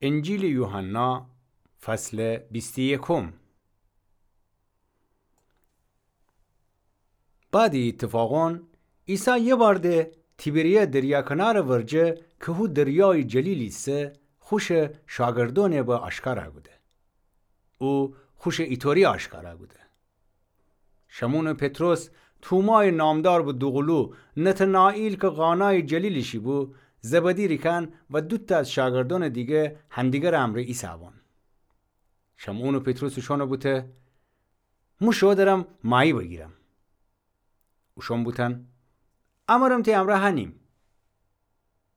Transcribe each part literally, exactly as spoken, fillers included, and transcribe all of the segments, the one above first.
انجیلٚ یوحنا، فصلٚ بیست و یکم. بعدٚ ای ایتفاقأن، عیسی یه بار ده تیبریا دریا کنارٚ ورجه کی هو دریایٚ جلیل ایسه، خوشٚ شاگردأنٚ به آشکارا کوده. او خوشٚ ایطوری آشکارا کوده. شمعونٚ پطرس، تومایٚ نامدار به دوقلو، نتنائیل کی قانایٚ جلیل ایشی بو، زبدی ریکأن و دوتأ از شاگردأنٚ دیگه هندیگرٚ امرأ ایسه‌بأن. شمعونٚ پطرس اوشأنَ بوته: مو شو درم ماهی بگیرم. اوشأن بوتأن: امرم تی امرأ هنیم.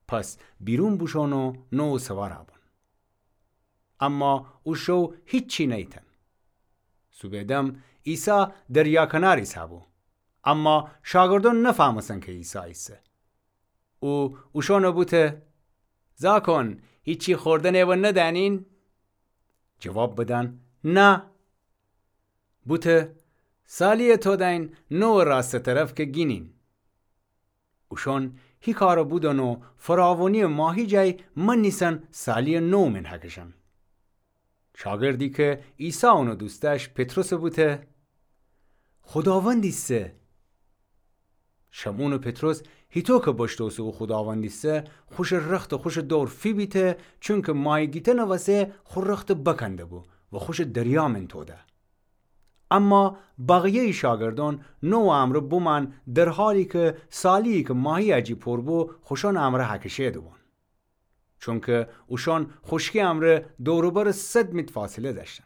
پس بیرون بوشوئن و نوع سوارَ بوئن. اما او شو هیچی نیتأن. صوبٚ دم عیسی دریا کنار ایسه‌بو. اما شاگردأن نفهمستن کی عیسی ایسه. او اوشأنَ بوته: زاکون، هیچی خوردنٚ و ندأنین؟ جواب بدأن: نه. بوته: سالیَ تودأین نوعٚ راستٚ طرف کی گینین. اوشأن هی کارَ بودن و فراوانی‌یٚ ماهی جای منیسن سالیَ نوع من هکشن. شاگردی کی عیسی اونَ دوست دأشت، پطرسَ بوته: خوداوند ایسه. شمعونٚ پطرس هیطو کی بشنوسه او خوداوند ایسه، خوشٚ رختَ خوشٚ دور فیبیته، چونکی ماهی گیتنٚ وسه خو رختَ بکنده‌بو و خوشَ دریا من توده. اما بقیه‌یٚ شاگردأن نوعٚ امرأ بومأن، در حالی کی سالی‌یی کی ماهی‌یٚ جی پور بو، خوشأنٚ امرأ هکشه دوبون. چونکی اوشأن خوشکی امرأ دور و بر صد میت فاصله دأشتن.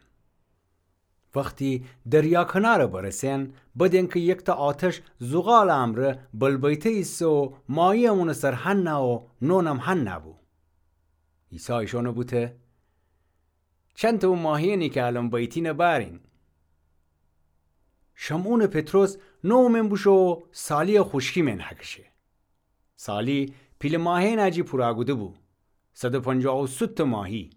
وختی دریا کنارَ برسئن، بدین کی یکتأ آتش زغالٚ امرأ بلبیته ایسه و ماهی‌یم اونٚ سر هنه و نونم هنه بو. عیسی ایشأنَ بوته: چنتأ او ماهی‌یأنی کی الأن بیتینَ بأرین. شمعونٚ پطرس نوع من بوشو و سالی‌یَ خوشکی من هکشه. سالی پیلٚ ماهی‌یأنٚ جی پورَ کوده‌بو، صد و پنجاه و سه تأ ماهی.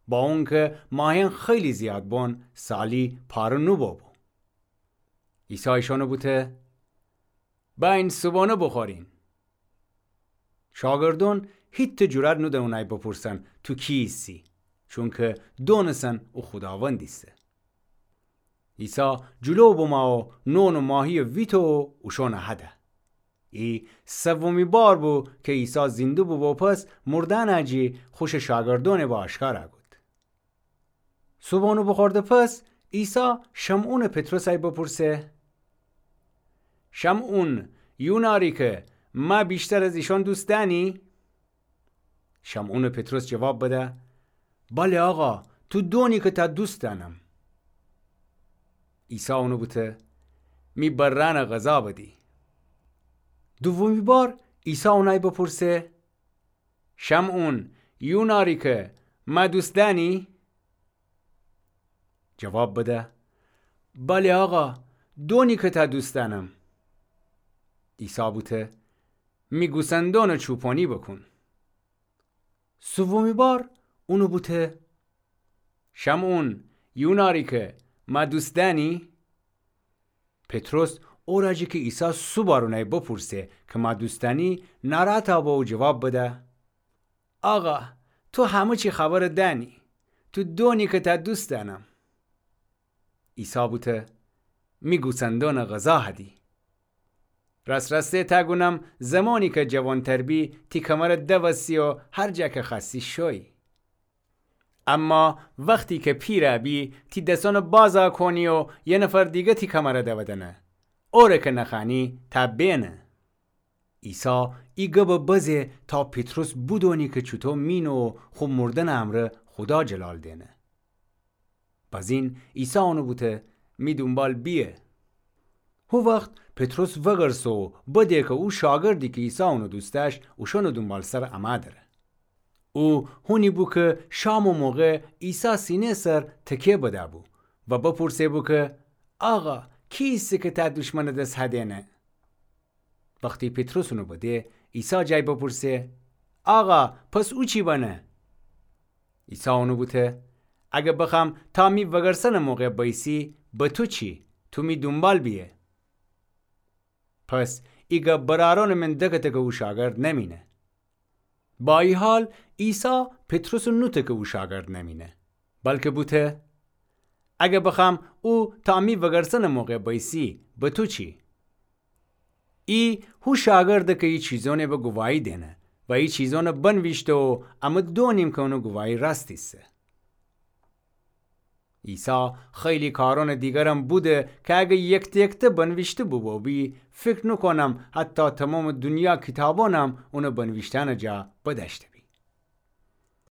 با اونکی ماهی‌یأن خیلی زیاد بون، سالی پاره نوبوبو. عیسی ایشأنَ بوته: بأیین صوبانه بوخورین. شاگردأن هیتأ جرأت نودن اونَی بپرسن: تو کی ایسی؟ چونکی دونسن او خوداوند ایسه. عیسی جلو بمو و نون و ماهی‌یَ ویته و اوشأنَ هده. ای سومی بار بو کی عیسی زنده بوبو پس مردأنٚ جی خوشٚ شاگردأنٚ به آشکارَ کود. صوبانه بوخورده پس، عیسی شمعونٚ پطرسَی بپرسه: شمعون، یوناری کی مه ویشتر از ایشأن دوست دأنی؟ شمعونٚ پطرس جواب بده: بله آقا، تو دونی کی تأ دوست دأنم. عیسی اونَ بوته: می برأنٚ غذا بدی. دومی بار عیسی اونَی بپرسه: شمعون، یوناری کی مه دوست دأنی؟ جواب بده: بله آقا، دونی کی تأ دوست دأنم. عیسی بوته: می گوسندأنٚ چوپانی بوکون. سومی بار اونَ بوته: شمعون، یوناری کی مه دوست دأنی؟ پطرس اورأ جی کی عیسی سه بار اونَی بپرسه کی مه دوست دأنی، ناراحتَ بو و جواب بده: آقا، تو همه چی خبرَ دأنی، تو دونی کی تأ دوست دأنم. عیسی بوته: می گوسندأنٚ غذا هدی. راست راسته تأ گونم، زمانی کی جوانتر بی، تی کمرَ دوسی و هر جا کی خوأستی شویی. اما وختی کی پیرَ بی، تی دسأنَ بازَ کونی و یه نفر دیگه تی کمرَ دودنه. اوره کی نخوأنی تأ بینه. عیسی ای گبَ بزه تا پطرس بودونی کی چوطو مینه و خو مردنٚ امرأ خودا جلال دینه. بزین عیسی اونَ بوته: می دونبال بیه. هو وخت پطرس وگرسه و بده کی او شاگردی کی عیسی اونَ دوست دأشت، اوشأنٚ دونبالسر امه دره. او هونی بو کی شامٚ موقع عیسی سینه سر تکیه بده‌بو و بپرسه‌بو کی: آقا، کی ایسه کی تأ دوشمنٚ دس هدینه؟ وختی پطرس اونَ بده، عیسی جای بپرسه: آقا، پس او چی بنه؟ عیسی اونَ بوته: اگر بخوأم تا می وگرسنٚ موقع بیسی، به تو چی؟ تو می دونبال بیه. پس ای گب برأرأنٚ من دکته کی او شاگرد نمینه. با ای حال، عیسی پطرسٚ نوته کی او شاگرد نمینه، بلکه بوته: اگر بخوأم او تا امی وگرسنٚ موقع بیسی، به تو چی؟ ای هو شاگرده کی ای چیزأنٚ به گواهی دئنه و ای چیزأن بنویشته و امه دونیم کی اونٚ گواهی راست ایسه. عیسی خیلی کارأنٚ دیگرم بوده کی اگر یکته یکته بنویشته بوبوبی، فکر نوکونم حتی تومامٚ دونیا کیتابأنم اونٚ بنویشتنٚ جا بدأشته بی.